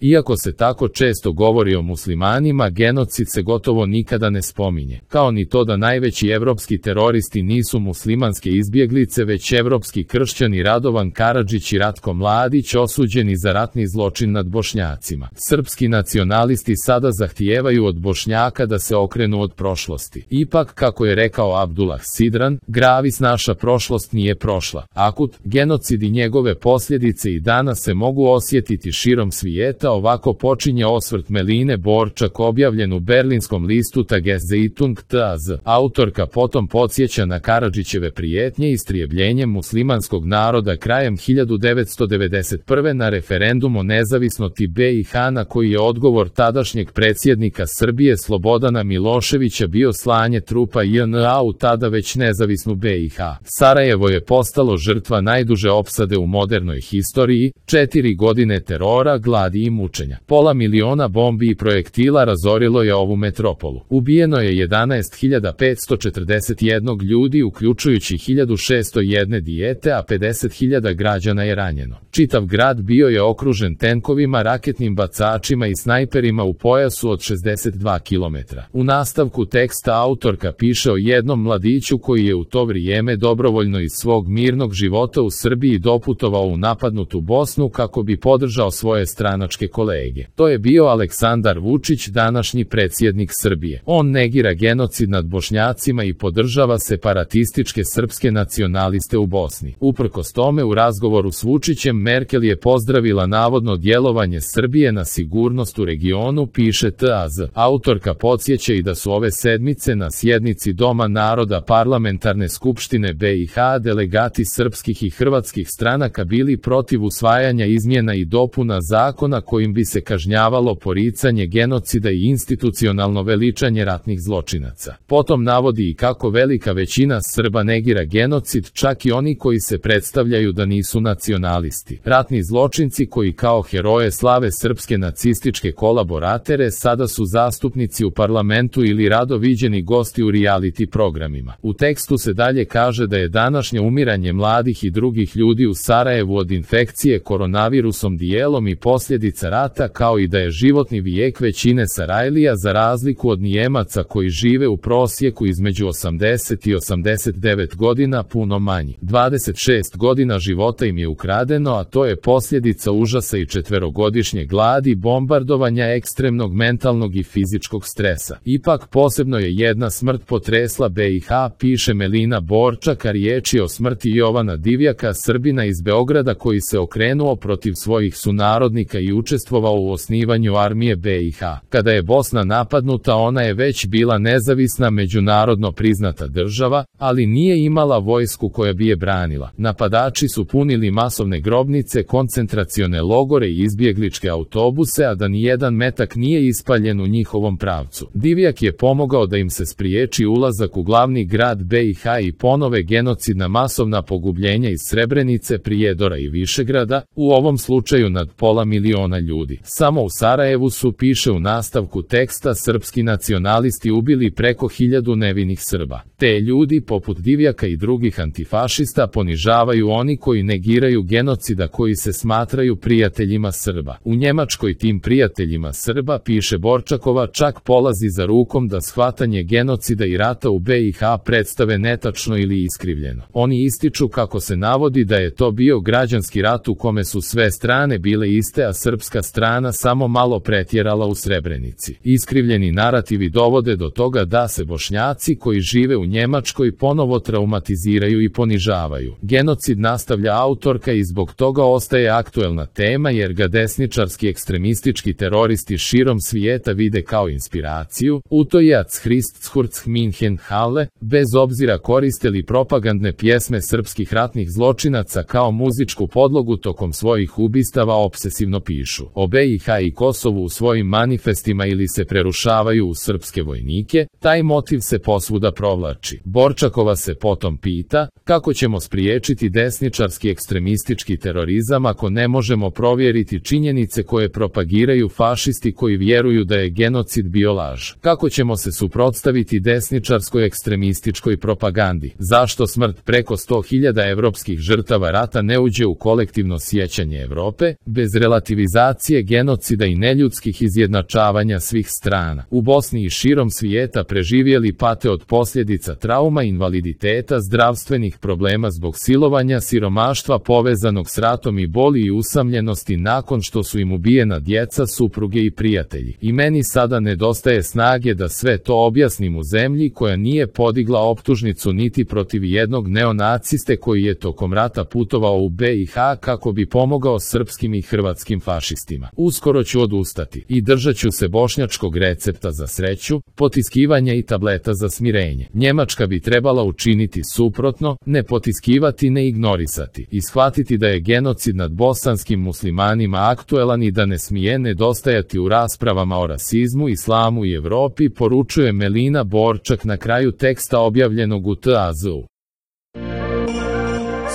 Iako se tako često govori o muslimanima, genocid se gotovo nikada ne spominje, kao ni to da najveći evropski teroristi nisu muslimanske izbjeglice već evropski kršćani Radovan Karadžić i Ratko Mladić osuđeni za ratni zločin nad Bošnjacima. Srpski nacionalisti sada zahtijevaju od Bošnjaka da se okrenu od prošlosti. Ipak, kako je rekao Abdullah Sidran, gravis naša prošlost nije prošla. Akut, genocid i njegove posljedice i danas se mogu osjetiti širom svijeta. Ovako počinje osvrt Meline Borčak objavljen u berlinskom listu Tageszeitung TAZ. Autorka potom podsjeća na Karadžićeve prijetnje istrebljenjem muslimanskog naroda krajem 1991. na referendum o nezavisnosti BiH na koji je odgovor tadašnjeg predsjednika Srbije Slobodana Miloševića bio slanje trupa JNA u tada već nezavisnu BiH. Sarajevo je postalo žrtva najduže opsade u modernoj historiji, 4 godine terora, gladi i mučenja. Pola miliona bombi i projektila razorilo je ovu metropolu. Ubijeno je 11.541 ljudi uključujući 1.601 dijete, a 50.000 građana je ranjeno. Čitav grad bio je okružen tenkovima, raketnim bacačima i snajperima u pojasu od 62 km. U nastavku teksta autorka piše o jednom mladiću koji je u to vrijeme dobrovoljno iz svog mirnog života u Srbiji doputovao u napadnutu Bosnu kako bi podržao svoje stranačke kolege. To je bio Aleksandar Vučić, današnji predsjednik Srbije. On negira genocid nad Bošnjacima i podržava separatističke srpske nacionaliste u Bosni. Uprkos tome, u razgovoru s Vučićem Merkel je pozdravila navodno djelovanje Srbije na sigurnost u regionu, piše TAZ. Autorka podsjeća i da su ove sedmice na sjednici Doma naroda Parlamentarne skupštine BiH delegati srpskih i hrvatskih stranaka bili protiv usvajanja izmjena i dopuna zakona kojim bi se kažnjavalo poricanje genocida i institucionalno veličanje ratnih zločinaca. Potom navodi i kako velika većina Srba negira genocid, čak i oni koji se predstavljaju da nisu nacionalisti. Ratni zločinci koji kao heroje slave srpske nacističke kolaboratere sada su zastupnici u parlamentu ili rado viđeni gosti u reality programima. U tekstu se dalje kaže da je današnje umiranje mladih i drugih ljudi u Sarajevu od infekcije koronavirusom dijelom i posljedica rata, kao i da je životni vijek većine Sarajlija za razliku od Nijemaca koji žive u prosjeku između 80 i 89 godina puno manji. 26 godina života im je ukradeno, a to je posljedica užasa i 4-godišnje gladi, bombardovanja, ekstremnog mentalnog i fizičkog stresa. Ipak posebno je jedna smrt potresla BiH, piše Melina Borčak, a riječ je o smrti Jovana Divjaka, Srbina iz Beograda koji se okrenuo protiv svojih sunarodnika i učestvovao u osnivanju armije BiH. Kada je Bosna napadnuta, ona je već bila nezavisna međunarodno priznata država, ali nije imala vojsku koja bi je branila. Napadači su punili masovne grobnice, koncentracione logore i izbjegličke autobuse, a da nijedan metak nije ispaljen u njihovom pravcu. Divjak je pomogao da im se spriječi ulazak u glavni grad BiH i ponove genocidna masovna pogubljenja iz Srebrenice, Prijedora i Višegrada, u ovom slučaju nad pola miliona ljudi. Samo u Sarajevu su, piše u nastavku teksta, srpski nacionalisti ubili preko 1000 nevinih Srba. Te ljudi, poput Divjaka i drugih antifašista, ponižavaju oni koji negiraju genocida koji se smatraju prijateljima Srba. U Njemačkoj tim prijateljima Srba, piše Borčakova, čak polazi za rukom da shvatanje genocida i rata u BiH predstave netačno ili iskrivljeno. Oni ističu kako se navodi da je to bio građanski rat u kome su sve strane bile iste, a srpska strana samo malo pretjerala u Srebrenici. Iskrivljeni narativi dovode do toga da se Bošnjaci koji žive u Njemačkoj ponovo traumatiziraju i ponižavaju. Genocid, nastavlja autorka, i zbog toga ostaje aktuelna tema jer ga desničarski ekstremistički teroristi širom svijeta vide kao inspiraciju. Utojac Hrist Hurc Minhen Halle, bez obzira koriste li propagandne pjesme srpskih ratnih zločinaca kao muzičku podlogu tokom svojih ubistava, opsesivno pišu o BiH i Kosovu u svojim manifestima ili se prerušavaju u srpske vojnike, taj motiv se posvuda provlači. Borčakova se potom pita kako ćemo spriječiti desničarski ekstremistički terorizam ako ne možemo provjeriti činjenice koje propagiraju fašisti koji vjeruju da je genocid bio laž. Kako ćemo se suprotstaviti desničarskoj ekstremističkoj propagandi? Zašto smrt preko 100.000 evropskih žrtava rata ne uđe u kolektivno sjećanje Evrope? Bez relativizacije tolerancije genocida i neljudskih izjednačavanja svih strana. U Bosni i širom svijeta preživjeli pate od posljedica trauma, invaliditeta, zdravstvenih problema zbog silovanja, siromaštva povezanog s ratom i boli i usamljenosti nakon što su im ubijena djeca, supruge i prijatelji. I meni sada nedostaje snage da sve to objasnim u zemlji koja nije podigla optužnicu niti protiv jednog neonaciste koji je tokom rata putovao u BiH kako bi pomogao srpskim i hrvatskim fašistima. Uskoro ću odustati i držat ću se bošnjačkog recepta za sreću, potiskivanja i tableta za smirenje. Njemačka bi trebala učiniti suprotno, ne potiskivati, ne ignorisati i shvatiti da je genocid nad bosanskim muslimanima aktuelan i da ne smije nedostajati u raspravama o rasizmu, islamu i Evropi, poručuje Melina Borčak na kraju teksta objavljenog u TAZ-u.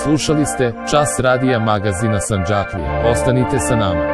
Slušali ste Čas radija magazina Sandžaklija. Ostanite sa nama.